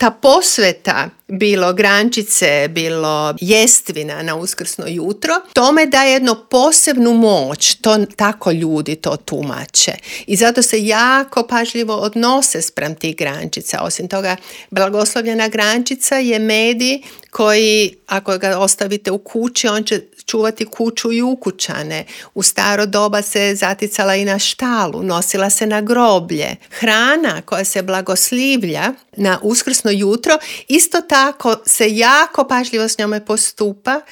ta posveta, bilo grančice, bilo jestvina na uskrsno jutro, tome daje jednu posebnu moć, to tako ljudi to tumače. I zato se jako pažljivo odnose spram tih grančica. Osim toga, blagoslovljena grančica je medij koji, ako ga ostavite u kući, on će čuvati kuću i ukućane. U staro doba se zaticala i na štalu, nosila se na groblje. Hrana koja se blagoslivlja na uskrsno jutro, isto tako se jako pažljivo s njome postupa